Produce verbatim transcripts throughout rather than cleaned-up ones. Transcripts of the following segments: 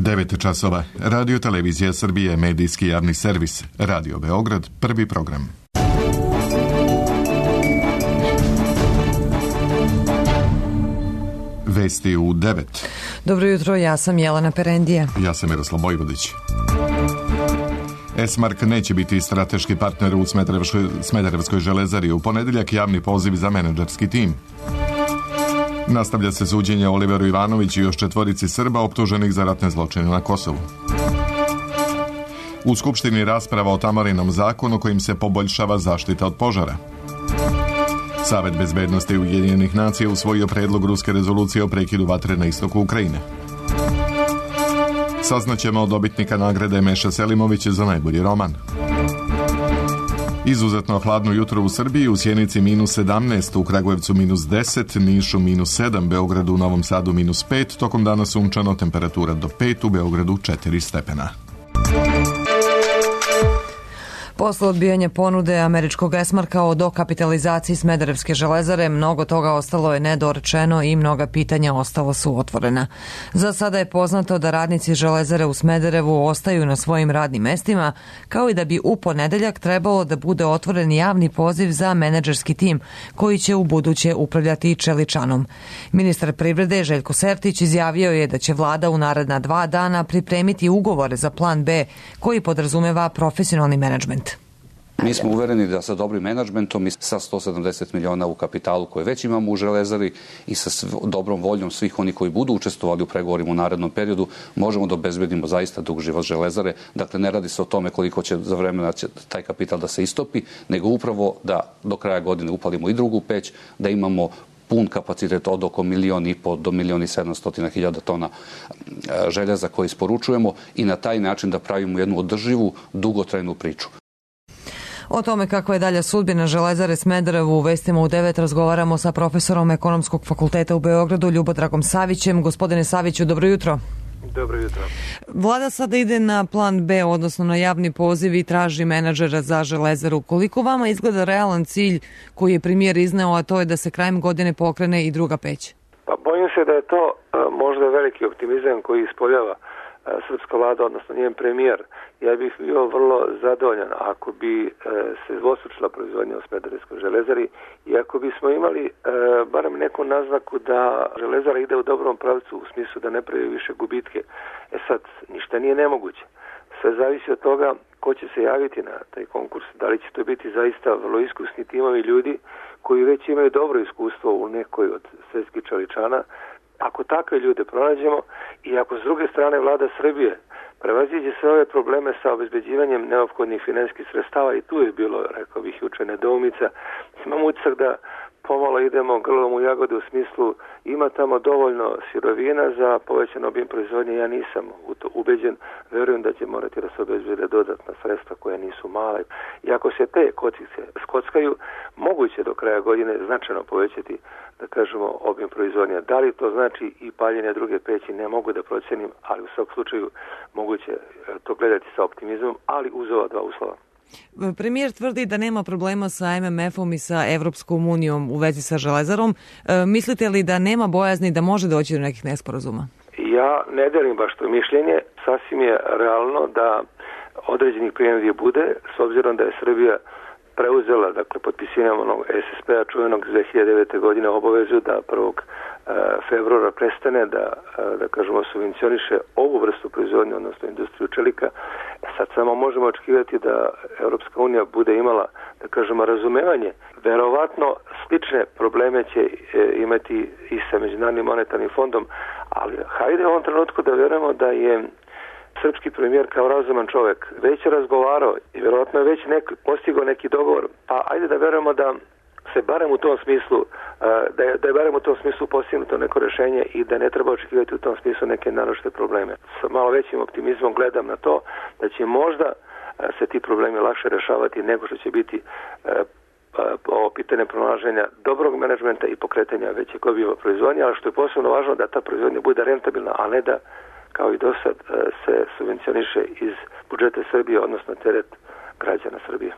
devet časova. Radio Televizija Srbije, medijski javni servis. Radio Beograd, prvi program. Vesti u devet. Dobro jutro, ja sam Jelena Perendija. Ja sam Miroslav Bojvodić. Esmark neće biti strateški partner u Smederevskoj, Smederevskoj železari. U ponedeljak javni poziv za menadžerski tim. Nastavlja se suđenje Oliveru Ivanoviću i još četvorici Srba optuženih za ratne zločine na Kosovu. U Skupštini rasprava o Tamarinom zakonu kojim se poboljšava zaštita od požara. Savet bezbednosti Ujedinjenih nacija usvojio predlog ruske rezolucije o prekidu vatre na istoku Ukrajine. Saznaćemo od dobitnika nagrade Meša Selimovića za najbolji roman. Izuzetno hladno jutro u Srbiji, u Sjenici minus sedamnaest, u Kragujevcu minus deset, Nišu minus sedam, Beogradu, u Novom Sadu minus pet, tokom dana sunčano, temperatura do pet, u Beogradu četiri stepena. Posle odbijanja ponude američkog Esmarka o dokapitalizaciji Smederevske železare, mnogo toga ostalo je nedorečeno i mnoga pitanja ostala su otvorena. Za sada je poznato da radnici železare u Smederevu ostaju na svojim radnim mestima, kao i da bi u ponedeljak trebalo da bude otvoren javni poziv za menadžerski tim koji će u buduće upravljati Čeličanom. Ministar privrede Željko Sertić izjavio je da će vlada u naredna dva dana pripremiti ugovore za plan B koji podrazumeva profesionalni menadžment. Mi smo uvereni da sa dobrim menadžmentom i sa sto sedamdeset miliona u kapitalu koje već imamo u železari i sa dobrom voljom svih oni koji budu učestvovali u pregovorima u narednom periodu možemo da obezbedimo zaista dug život železare. Dakle, ne radi se o tome koliko će za vremena će taj kapital da se istopi, nego upravo da do kraja godine upalimo i drugu peć, da imamo pun kapacitet od oko milion i po do milion i sedamstotina hiljada tona željeza koje isporučujemo i na taj način da pravimo jednu održivu, dugotrajnu priču. O tome kako je dalja sudbina železare Smederevu u vestima u devet razgovaramo sa profesorom Ekonomskog fakulteta u Beogradu Ljubodragom Savićem. Gospodine Saviću, dobro jutro. Dobro jutro. Vlada sada ide na plan B, odnosno na javni poziv i traži menadžera za železaru. Koliko vama izgleda realan cilj koji je premijer izneo, a to je da se krajem godine pokrene i druga peć? Pa bojim se da je to možda veliki optimizam koji ispoljava srpska vlada, odnosno njen premijer. Ja bih bio vrlo zadovoljan ako bi se dvostručila proizvodnja u Smederevskoj železari i ako bismo imali e, barem neku naznaku da železara ide u dobrom pravcu u smislu da ne pravi više gubitke. E sad, ništa nije nemoguće. Sve zavisi od toga ko će se javiti na taj konkurs. Da li će to biti zaista vrlo iskusni timovi ljudi koji već imaju dobro iskustvo u nekoj od svetskih čeličana. Ako takve ljude pronađemo i ako s druge strane vlada Srbije prevaziđe sve ove probleme sa obezbeđivanjem neophodnih finansijskih sredstava i tu je bilo, rekao bih, juče nedoumica, imam utisak da pomalo idemo grlom u jagode u smislu ima tamo dovoljno sirovina za povećan obim proizvodnje. Ja nisam u to ubeđen, verujem da će morati da se obezbede dodatna sredstva koja nisu male. I ako se te kockice skockaju, moguće do kraja godine značajno povećati, da kažemo, obim proizvodnje. Da li to znači i paljenje druge peći, ne mogu da procenim, ali u svakom slučaju moguće to gledati sa optimizmom, ali uz ova dva uslova. Premijer tvrdi da nema problema sa em em efom i sa Evropskom unijom u vezi sa železarom. E, mislite li da nema bojazni da može doći do nekih nesporazuma? Ja ne delim baš to mišljenje. Sasvim je realno da određenih primjedbi bude, s obzirom da je Srbija preuzela, dakle, potpisivanjem onog es es pe-a čuvenog dve hiljade devete. godine obavezu da prvog februara prestane da, da kažemo, subvencioniše ovu vrstu proizvodnje, odnosno industriju čelika. E sad samo možemo očekivati da Europska unija bude imala, da kažemo, razumevanje. Verovatno slične probleme će imati i sa Međunarodnim monetarnim fondom, ali hajde u ovom trenutku da vjerujemo da je srpski premijer kao razuman čovjek već je razgovarao i vjerojatno je već neki, postigao neki dogovor, pa ajde da vjerujemo da se barem u tom smislu, da je, da je barem u tom smislu postignuto neko rješenje i da ne treba očekivati u tom smislu neke naročite probleme. Sa malo većim optimizmom gledam na to da će možda se ti problemi lakše rješavati nego što će biti ovo pitanje pronalaženja dobrog menadžmenta i pokretanja većeg obima proizvodnje, ali što je posebno važno da ta proizvodnja bude rentabilna, a ne da kao i do sad se subvencioniše iz budžeta Srbije, odnosno teret građana Srbije.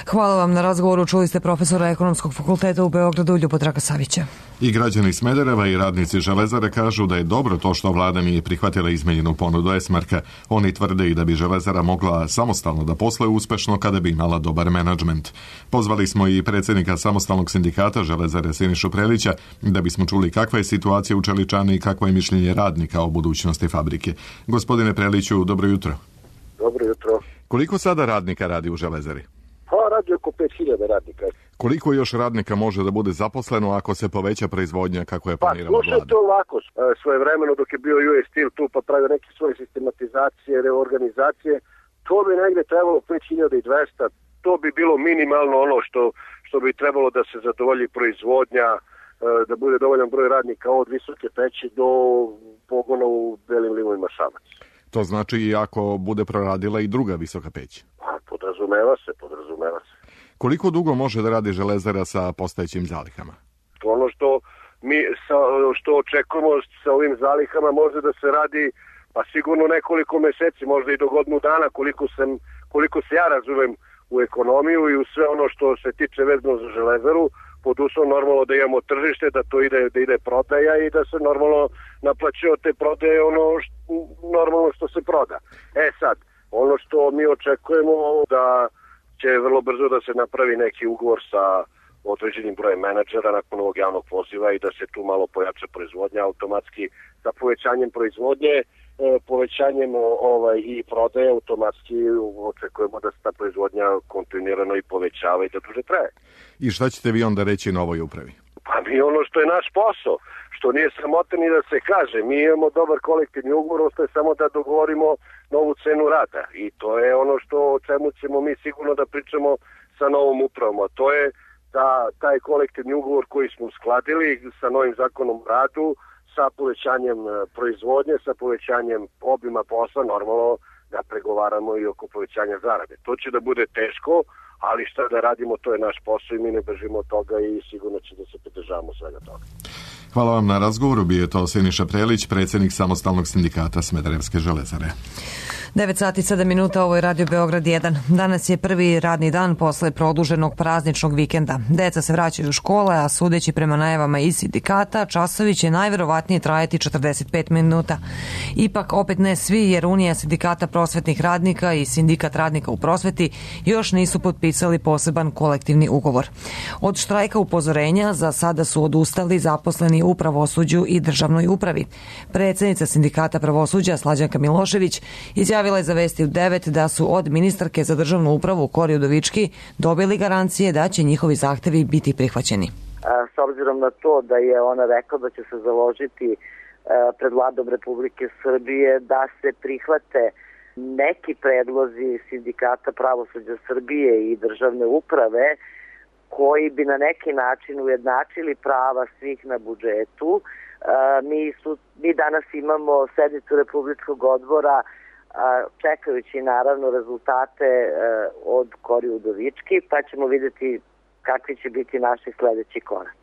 Hvala vam na razgovoru. Čuli ste profesora Ekonomskog fakulteta u Beogradu Ljubodraga Savića. I građani Smedereva i radnici Železare kažu da je dobro to što vlada nije prihvatila izmenjenu ponudu Esmarka. Oni tvrde i da bi Železara mogla samostalno da posluje uspešno kada bi imala dobar menadžment. Pozvali smo i predsjednika samostalnog sindikata Železare Sinišu Prelića da bismo čuli kakva je situacija u Čeličani i kakvo je mišljenje radnika o budućnosti fabrike. Gospodine Preliću, dobro jutro. Dobro jutro. Koliko sada radnika radi u Železari? Pa radi oko pet hiljada radnika. Koliko još radnika može da bude zaposleno ako se poveća proizvodnja kako je planirala vlada? Pa slušajte ovako, svoje vremeno dok je bio U S Steel tu pa pravio neke svoje sistematizacije, reorganizacije, to bi negdje trebalo pet hiljada dvesta, to bi bilo minimalno ono što, što bi trebalo da se zadovolji proizvodnja, da bude dovoljan broj radnika od Visoke peći do pogona u Belim Limovima Šabac. To znači i ako bude proradila i druga visoka peć? Pa podrazumeva se, podrazumeva se. Koliko dugo može da radi Železara sa postojećim zalihama? Ono što mi sa, što očekujemo sa ovim zalihama može da se radi pa sigurno nekoliko meseci, možda i do godinu dana, koliko, sam, koliko se ja razumem u ekonomiju i u sve ono što se tiče vezano za Železaru, pod uslovom normalno da imamo tržište, da to ide, da ide prodaja i da se normalno naplaćuje od te prodaje ono što, normalno što se proda. E sad, ono što mi očekujemo da će vrlo brzo da se napravi neki ugovor sa određenim brojem menadžera nakon ovog javnog poziva i da se tu malo pojača proizvodnja automatski sa povećanjem proizvodnje, povećanjem ovaj, i prodaje automatski očekujemo da se ta proizvodnja kontinuirano i povećava i da duže traje. I šta ćete vi onda reći novoj upravi? Pa mi ono što je naš posao, što nije sramota ni da se kaže, mi imamo dobar kolektivni ugovor, ostaje samo da dogovorimo novu cenu rada i to je ono što o čemu ćemo mi sigurno da pričamo sa novom upravom, a to je da taj kolektivni ugovor koji smo uskladili sa novim zakonom o radu, sa povećanjem proizvodnje, sa povećanjem obima posla, normalno da pregovaramo i oko povećanja zarade. To će da bude teško, ali šta da radimo, to je naš posao i mi ne bežimo od toga i sigurno će da se pridržavamo svega toga. Hvala vam na razgovoru. Bio je to Siniša Prelić, predsjednik samostalnog sindikata Smederevske Železare. devet sati sedam minuta, ovo je Radio Beograd jedan. Danas je prvi radni dan posle produženog prazničnog vikenda. Deca se vraćaju u škole, a sudeći prema najavama iz sindikata, časovi će najverovatnije trajati četrdeset pet minuta. Ipak opet ne svi, jer Unija sindikata prosvetnih radnika i sindikat radnika u prosveti još nisu potpisali poseban kolektivni ugovor. Od štrajka upozorenja za sada su odustali zaposleni u pravosuđu i državnoj upravi. Predsjednica sindikata pravosuđa Slađanka Milošević izjavila je za Vesti u devet da su od ministarke za državnu upravu Kori Udovički dobili garancije da će njihovi zahtevi biti prihvaćeni. S obzirom na to da je ona rekla da će se založiti pred Vladom Republike Srbije da se prihvate neki predlozi sindikata pravosuđa Srbije i državne uprave koji bi na neki način ujednačili prava svih na budžetu. Mi, su, mi danas imamo sednicu Republičkog odbora čekajući naravno rezultate od Kori Udovički, pa ćemo vidjeti kakvi će biti naši sljedeći koraci.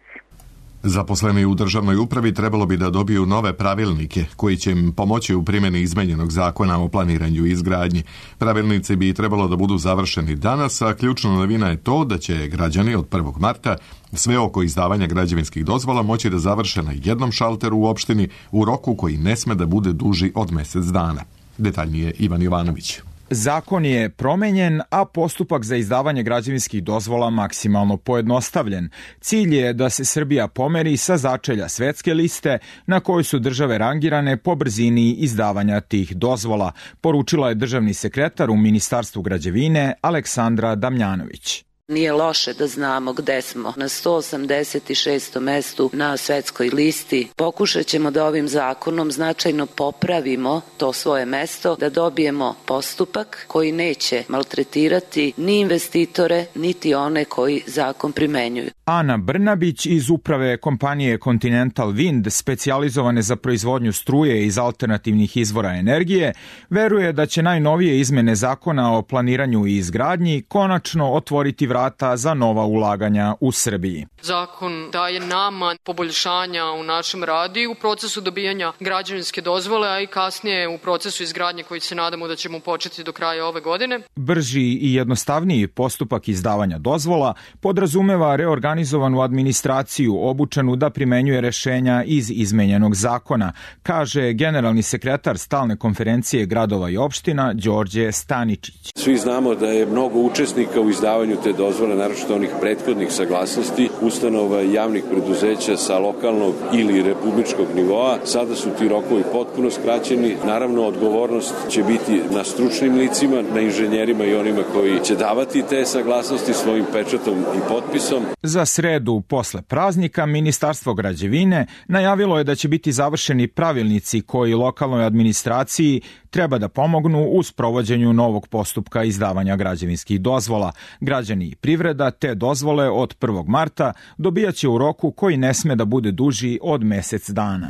Zaposleni u državnoj upravi trebalo bi da dobiju nove pravilnike koji će im pomoći u primjeni izmenjenog zakona o planiranju i izgradnji. Pravilnici bi trebalo da budu završeni danas, a ključna novina je to da će građani od prvog marta sve oko izdavanja građevinskih dozvola moći da završe na jednom šalteru u opštini u roku koji ne sme da bude duži od mjesec dana. Detaljnije Ivan Jovanović. Zakon je promenjen, a postupak za izdavanje građevinskih dozvola maksimalno pojednostavljen. Cilj je da se Srbija pomeri sa začelja svetske liste na kojoj su države rangirane po brzini izdavanja tih dozvola, poručila je državni sekretar u Ministarstvu građevine Aleksandra Damjanović. Nije loše da znamo gde smo. Na sto osamdeset šestom mestu na svetskoj listi. Pokušat ćemo da ovim zakonom značajno popravimo to svoje mesto, da dobijemo postupak koji neće maltretirati ni investitore, niti one koji zakon primenjuju. Ana Brnabić iz uprave kompanije Continental Wind, specijalizovane za proizvodnju struje iz alternativnih izvora energije, veruje da će najnovije izmene zakona o planiranju i izgradnji konačno otvoriti vrata za nova ulaganja u Srbiji. Zakon daje nama poboljšanja u našem radu i u procesu dobijanja građevinske dozvole, a i kasnije u procesu izgradnje koji se nadamo da ćemo početi do kraja ove godine. Brži i jednostavniji postupak izdavanja dozvola podrazumeva reorganizovanu administraciju obučenu da primenjuje rešenja iz izmenjenog zakona, kaže generalni sekretar Stalne konferencije gradova i opština Đorđe Staničić. Svi znamo da je mnogo učesnika u izdavanju te dozvole, naročito onih prethodnih saglasnosti, ustanova i javnih preduzeća sa lokalnog ili republičkog nivoa. Sada su ti rokovi potpuno skraćeni. Naravno, odgovornost će biti na stručnim licima, na inženjerima i onima koji će davati te saglasnosti svojim pečatom i potpisom. Za sredu posle praznika Ministarstvo građevine najavilo je da će biti završeni pravilnici koji lokalnoj administraciji treba da pomognu u sprovođenju novog postupka izdavanja građevinskih dozvola. Građani i privreda te dozvole od prvog marta dobijaće u roku koji ne sme da bude duži od mesec dana.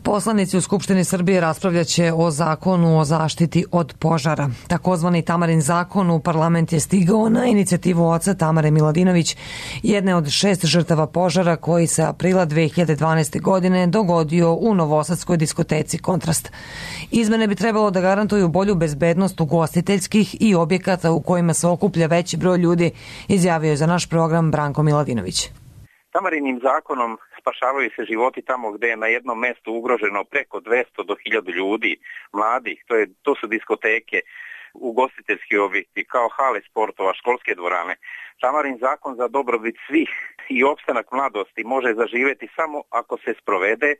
Poslanici u Skupštini Srbije raspravljaće o zakonu o zaštiti od požara. Takozvani Tamarin zakon u parlament je stigao na inicijativu oca Tamare Miladinović, jedne od šest žrtava požara koji se aprila dve hiljade dvanaeste. godine dogodio u novosadskoj diskoteci Kontrast. Izmene bi trebalo da garantuju bolju bezbednost ugostiteljskih i objekata u kojima se okuplja veći broj ljudi, izjavio je za naš program Branko Miladinović. Tamarinim zakonom spašavaju se životi tamo gde je na jednom mestu ugroženo preko dvesta do hiljadu ljudi, mladih, to, je, to su diskoteke, ugostiteljski objekti, kao hale sportova, školske dvorane. Tamarin zakon za dobrobit svih i opstanak mladosti može zaživeti samo ako se sprovede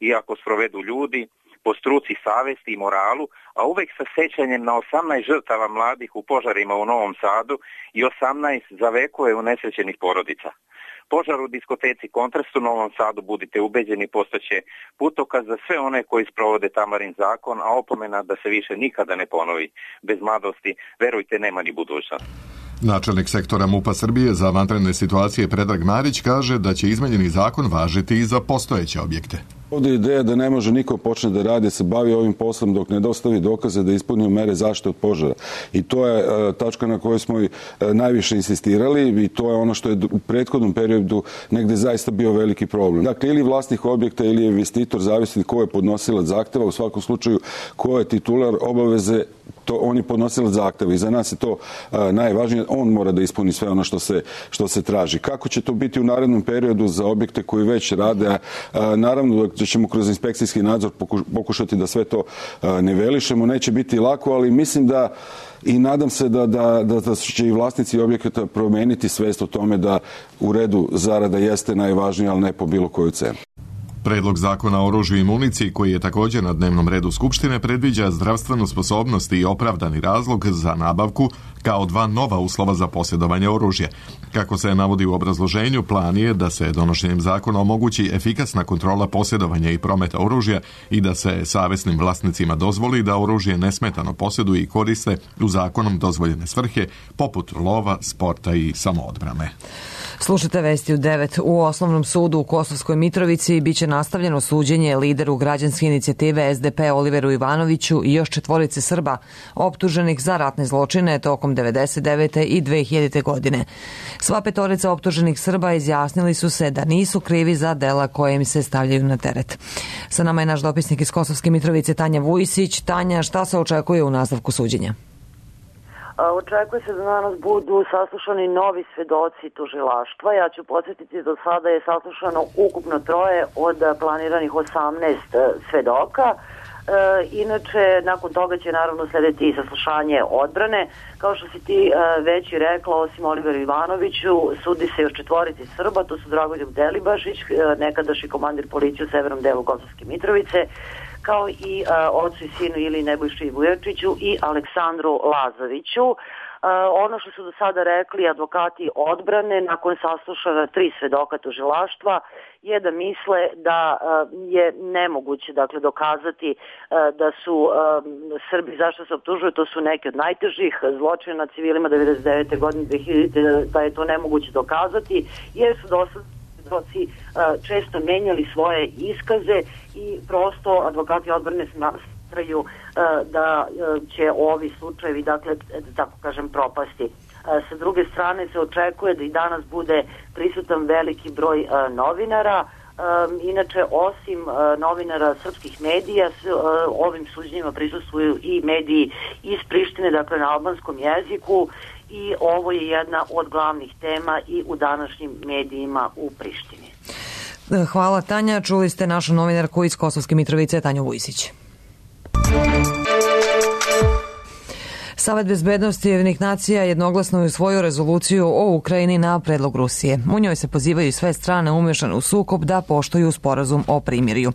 i ako sprovedu ljudi po struci, savesti i moralu, a uvek sa sećanjem na osamnaest žrtava mladih u požarima u Novom Sadu i osamnaest za vekove unesrećenih porodica. Požar u diskoteci Kontrast u Novom Sadu, budite ubeđeni, postaće putokaz za sve one koji sprovode Tamarin zakon, a opomena da se više nikada ne ponovi. Bez mladosti, verujte, nema ni budućnost. Načelnik sektora MUP-a Srbije za vanredne situacije Predrag Marić kaže da će izmenjeni zakon važiti i za postojeće objekte. Ovdje je ideja da ne može niko počne da radi, se bavi ovim poslom dok ne dostavi dokaze da ispunio mere zaštite od požara. I to je e, tačka na kojoj smo i e, najviše insistirali i to je ono što je u prethodnom periodu negde zaista bio veliki problem. Dakle, ili vlasnik objekta ili investitor, zavisni ko je podnosilac zahteva, u svakom slučaju ko je titular obaveze, to on je podnosilac zahteva i za nas je to a, najvažnije, on mora da ispuni sve ono što se, što se traži. Kako će to biti u narednom periodu za objekte koji već rade, a, a, naravno da ćemo kroz inspekcijski nadzor pokušati da sve to a, ne velišemo, neće biti lako, ali mislim da i nadam se da, da, da, da će i vlasnici objekata promeniti svest o tome da u redu zarada jeste najvažnija, ali ne po bilo koju cenu. Predlog zakona o oružju i municiji, koji je također na dnevnom redu Skupštine, predviđa zdravstvenu sposobnost i opravdani razlog za nabavku kao dva nova uslova za posjedovanje oružja. Kako se navodi u obrazloženju, plan je da se donošenjem zakona omogući efikasna kontrola posjedovanja i prometa oružja i da se savesnim vlasnicima dozvoli da oružje nesmetano posjeduju i koriste u zakonom dozvoljene svrhe, poput lova, sporta i samoodbrane. Slušajte vesti u devet. U Osnovnom sudu u Kosovskoj Mitrovici biće nastavljeno suđenje lideru građanske inicijative S D P Oliveru Ivanoviću i još četvorice Srba optuženih za ratne zločine tokom devedeset devete i dve hiljadite. godine. Sva petorica optuženih Srba izjasnili su se da nisu krivi za dela koje im se stavljaju na teret. Sa nama je naš dopisnik iz Kosovske Mitrovice Tanja Vujisić. Tanja, šta se očekuje u nastavku suđenja? Očekuje se da danas budu saslušani novi svedoci tužilaštva. Ja ću podsjetiti, do sada je saslušano ukupno troje od planiranih osamnaest svedoka. E, inače, nakon toga će naravno slediti i saslušanje odbrane. Kao što si ti e, već i rekla, osim Oliveru Ivanoviću, sudi se još četvorici Srba, to su Dragoljub Delibašić, e, nekadašnji komandir policije u severnom delu Kosovske Mitrovice, kao i uh, ocu i sinu ili Nebojši Vujačiću i Aleksandru Lazoviću. Ono što su do sada rekli advokati odbrane nakon saslušana tri svedoka tužilaštva je da misle da je nemoguće dakle dokazati da su Srbi, zašto se optužuju, to su neki od najtežih zločina nad civilima devedeset devete godine, dve hiljadite, da je to nemoguće dokazati jer su do sada svedoci često menjali svoje iskaze i prosto advokati odbrane smatraju da će ovi slučajevi, dakle, tako kažem, propasti. Sa druge strane se očekuje da i danas bude prisutan veliki broj novinara. Inače, osim novinara srpskih medija, ovim suđenjima prisustvuju i mediji iz Prištine, dakle na albanskom jeziku, i ovo je jedna od glavnih tema i u današnjim medijima u Prištini. Hvala, Tanja. Čuli ste našu novinarku iz Kosovske Mitrovice, Tanju Vujsić. Savet bezbednosti Ujedinjenih nacija jednoglasno je usvojio rezoluciju o Ukrajini na predlog Rusije. U njoj se pozivaju sve strane umešane u sukob da poštuju sporazum o primirju.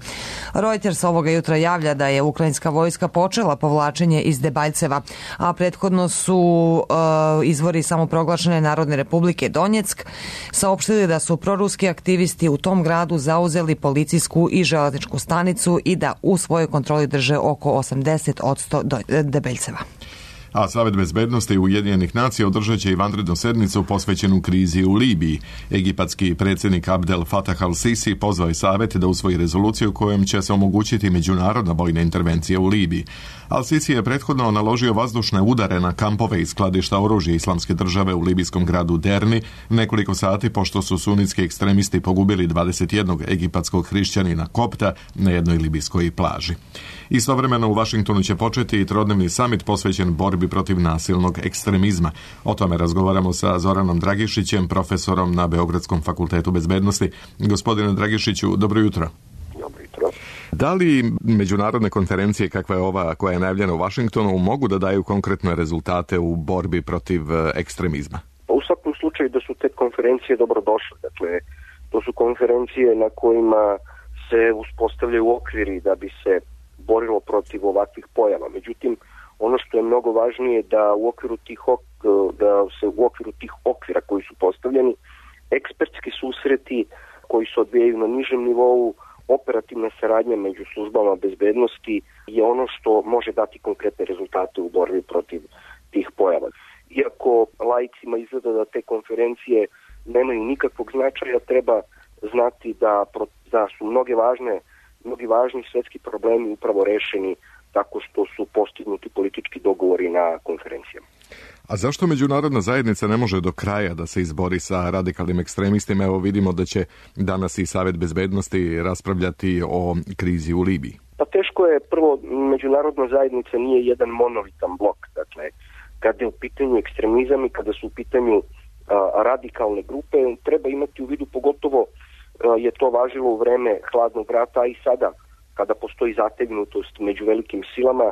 Reuters ovoga jutra javlja da je ukrajinska vojska počela povlačenje iz Debaljceva, a prethodno su uh, izvori samoproglašene Narodne republike Donjeck saopštili da su proruski aktivisti u tom gradu zauzeli policijsku i železničku stanicu i da u svojoj kontroli drže oko osamdeset posto Debeljceva. A Savet bezbednosti Ujedinjenih nacija održat će i vanrednu sednicu posvećenu krizi u Libiji. Egipatski predsjednik Abdel Fattah al-Sisi pozvao je Savet da usvoji rezoluciju kojom će se omogućiti međunarodna vojna intervencija u Libiji. Al-Sisi je prethodno naložio vazdušne udare na kampove i skladišta oružja Islamske države u libijskom gradu Derni nekoliko sati pošto su sunitski ekstremisti pogubili dvadeset jednog egipatskog hrišćanina kopta na jednoj libijskoj plaži. Istovremeno u Vašingtonu će početi i trodnevni samit posvećen borbi protiv nasilnog ekstremizma. O tome razgovaramo sa Zoranom Dragišićem, profesorom na Beogradskom fakultetu bezbednosti. Gospodine Dragišiću, dobro jutro. Dobro jutro. Da li međunarodne konferencije kakva je ova koja je najavljena u Vašingtonu mogu da daju konkretne rezultate u borbi protiv ekstremizma? U svakom slučaju da su te konferencije dobrodošle. Dakle, to su konferencije na kojima se uspostavljaju okviri da bi se borilo protiv ovakvih pojava. Međutim, ono što je mnogo važnije da u okviru tih da se u okviru tih okvira koji su postavljeni, ekspertski susreti koji se odvijaju na nižem nivou, operativna saradnja među službama bezbednosti je ono što može dati konkretne rezultate u borbi protiv tih pojava. Iako laicima izgleda da te konferencije nemaju nikakvog značaja, treba znati da, da su mnoge važne mnogi važni svetski problemi upravo rešeni tako što su postignuti politički dogovori na konferencijama. A zašto međunarodna zajednica ne može do kraja da se izbori sa radikalnim ekstremistima? Evo vidimo da će danas i Savet bezbednosti raspravljati o krizi u Libiji. Pa teško je, prvo, međunarodna zajednica nije jedan monolitan blok. Dakle, kada je u pitanju ekstremizam i kada su u pitanju a, radikalne grupe, treba imati u vidu, pogotovo je to važilo u vreme hladnog rata, a i sada kada postoji zategnutost među velikim silama,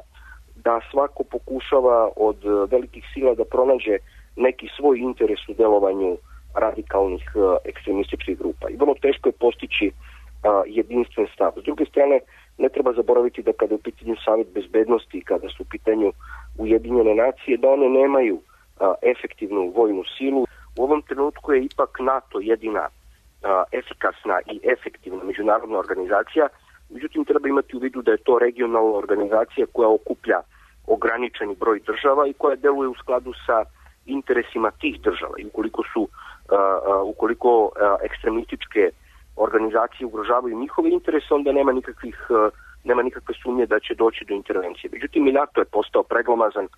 da svako pokušava od velikih sila da pronađe neki svoj interes u delovanju radikalnih ekstremističkih grupa. I vrlo teško je postići a, jedinstven stav. S druge strane, ne treba zaboraviti da kada je u pitanju Savet bezbednosti i kada su u pitanju Ujedinjene nacije, da one nemaju a, efektivnu vojnu silu. U ovom trenutku je ipak NATO jedina efikasna i efektivna međunarodna organizacija, međutim treba imati u vidu da je to regionalna organizacija koja okuplja ograničeni broj država i koja deluje u skladu sa interesima tih država. I ukoliko su uh, uh, ukoliko uh, ekstremističke organizacije ugrožavaju njihove interese, onda nema nikakvih uh, nema nikakve sumnje da će doći do intervencije. Međutim, i NATO je postao preglomazan.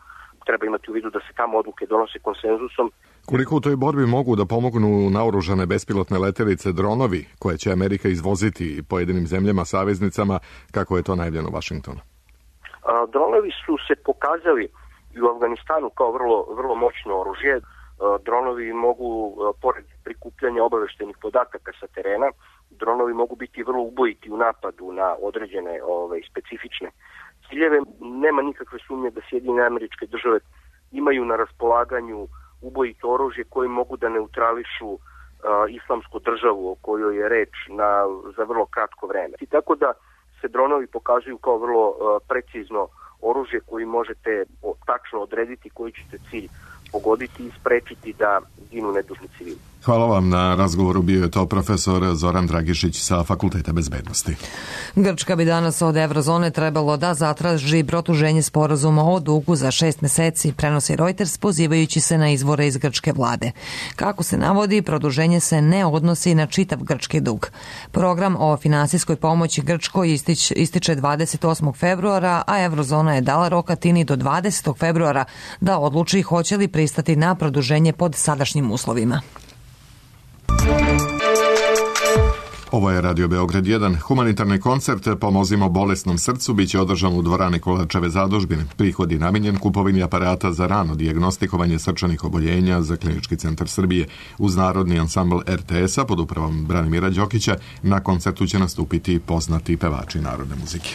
Treba imati u vidu da se tamo odluke donose konsenzusom. Koliko u toj borbi mogu da pomognu naoružane bespilotne letelice, dronovi, koje će Amerika izvoziti pojedinim zemljama, saveznicama, kako je to najavljeno u Vašingtonu? A, dronovi su se pokazali i u Afganistanu kao vrlo, vrlo moćno oružje. A, dronovi mogu, a, pored prikupljanja obaveštenih podataka sa terena, dronovi mogu biti vrlo ubojiti u napadu na određene ove, specifične ciljeve. Nema nikakve sumnje da Sjedinjene Američke Države imaju na raspolaganju ubojito oružje koji mogu da neutrališu uh, islamsku državu o kojoj je reč na, za vrlo kratko vreme. I tako da se dronovi pokazuju kao vrlo uh, precizno oružje koji možete o, tačno odrediti koji ćete cilj pogoditi i sprečiti da ginu nedužni civili. Hvala vam na razgovoru. Bio je to profesor Zoran Dragišić sa Fakulteta bezbednosti. Grčka bi danas od Evrozone trebalo da zatraži produženje sporazuma o dugu za šest meseci, prenosi Reuters pozivajući se na izvore iz grčke vlade. Kako se navodi, produženje se ne odnosi na čitav grčki dug. Program o finansijskoj pomoći Grčkoj istič, ističe dvadeset osmog februara, a Evrozona je dala rok Atini do dvadesetog februara da odluči hoće li pristati na produženje pod sadašnjim uslovima. Ovo je Radio Beograd jedan. Humanitarni koncert Pomozimo bolesnom srcu biće održan u dvorani Kolarčeve zadužbine. Prihod je namenjen kupovini aparata za rano dijagnostikovanje srčanih oboljenja za Klinički centar Srbije. Uz narodni ansambl er te es a pod upravom Branimira Đokića na koncertu će nastupiti poznati pevači narodne muzike.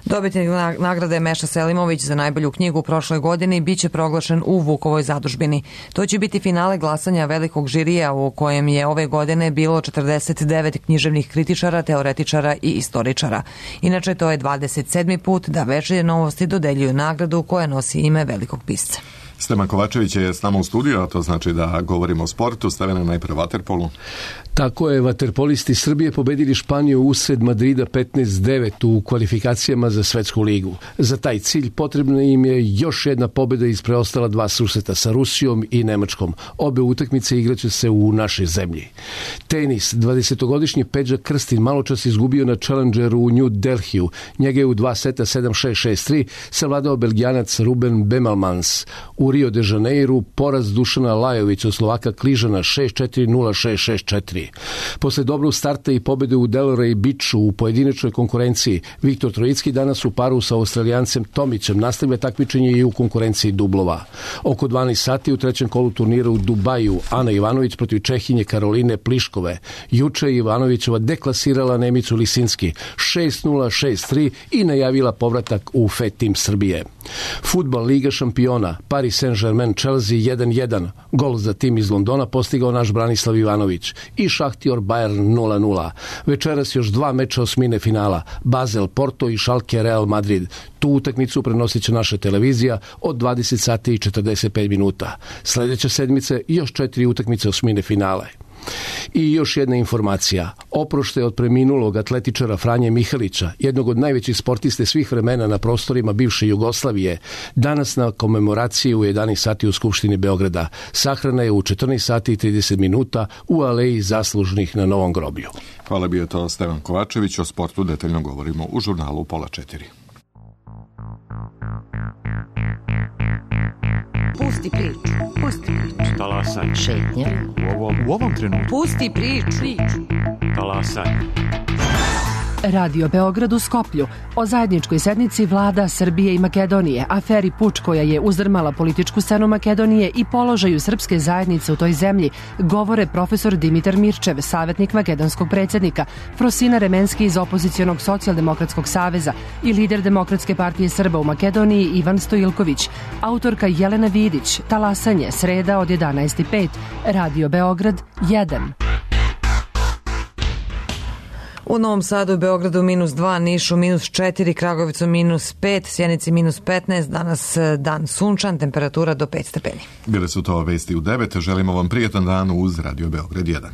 Dobitnik nagrade Meša Selimović za najbolju knjigu u prošloj godini biće proglašen u Vukovoj zadužbini. To će biti finale glasanja velikog žirija u kojem je ove godine bilo četrdeset devet književnih kritičara, teoretičara i istoričara. Inače, to je dvadeset sedmi put da Večernje novosti dodeljuju nagradu koja nosi ime velikog pisca. Stevan Kovačević je s nama u studiju, a to znači da govorimo o sportu. Stevena, najprve vaterpolu. Tako je, vaterpolisti Srbije pobedili Španiju usred Madrida petnaest devet u kvalifikacijama za svetsku ligu. Za taj cilj potrebna im je još jedna pobeda iz preostala dva susreta sa Rusijom i Nemačkom. Obe utakmice igraće se u našoj zemlji. Tenis, dvadesetogodišnji Peđa Krstin maločas izgubio na Challengeru u New Delhiju. Njega je u dva seta sedam šest šest tri savladao Belgijanac Ruben Bemelmans. U Rio de Janeiru poraz Dušana Lajovića od Slovaka Kližana šest četiri nula šest šest četiri. Posle dobrog starta i pobede u Delray Beachu u pojedinačnoj konkurenciji, Viktor Trojicki danas u paru sa Australijancem Tomićem nastavlja takmičenje i u konkurenciji dublova. Oko dvanaest sati u trećem kolu turnira u Dubaju Ana Ivanović protiv Čehinje Karoline Pliškove. Juče je Ivanovićeva deklasirala Nemicu Lisinski šest nula šest tri i najavila povratak u F E Team Srbije. Fudbal Liga šampiona Paris Saint-Germain Chelsea jedan jedan. Gol za tim iz Londona postigao naš Branislav Ivanović i Šahtior Bayern nula nula. Večeras još dva meča osmine finala, Basel Porto i Schalke Real Madrid. Tu utakmicu prenosit će naša televizija od dvadeset sati i četrdeset pet minuta. Sljedeće sedmice još četiri utakmice osmine finale. I još jedna informacija. Oproštaj od preminulog atletičara Franje Mihalića, jednog od najvećih sportiste svih vremena na prostorima bivše Jugoslavije, danas na komemoraciji u jedanaest sati u Skupštini Beograda. Sahrana je u četrnaest sati i trideset minuta u aleji zaslužnih na Novom groblju. Hvala, bio to Stevan Kovačević. O sportu detaljno govorimo u žurnalu pola četiri. Pusti priču, pusti priču. Talasaj. Šetnja. U ovom, u ovom trenutku. Pusti priču. priču. Talasaj. Radio Beograd u Skoplju o zajedničkoj sednici vlada Srbije i Makedonije, aferi Puč koja je uzdrmala političku scenu Makedonije i položaju srpske zajednice u toj zemlji, govore profesor Dimitar Mirčev, savjetnik makedonskog predsjednika, Frosina Remenski iz opozicionog socijaldemokratskog saveza i lider Demokratske partije Srba u Makedoniji Ivan Stojilković, autorka Jelena Vidić, Talasanje, sreda od jedanaest i pet, Radio Beograd jedan. U Novom Sadu, Beogradu minus dva, Nišu minus četiri, Kragovicu minus pet, Sjenici minus petnaest, danas dan sunčan, temperatura do pet stepeni. Bile su to vesti u devet, želimo vam prijetan dan uz Radio Beograd jedan.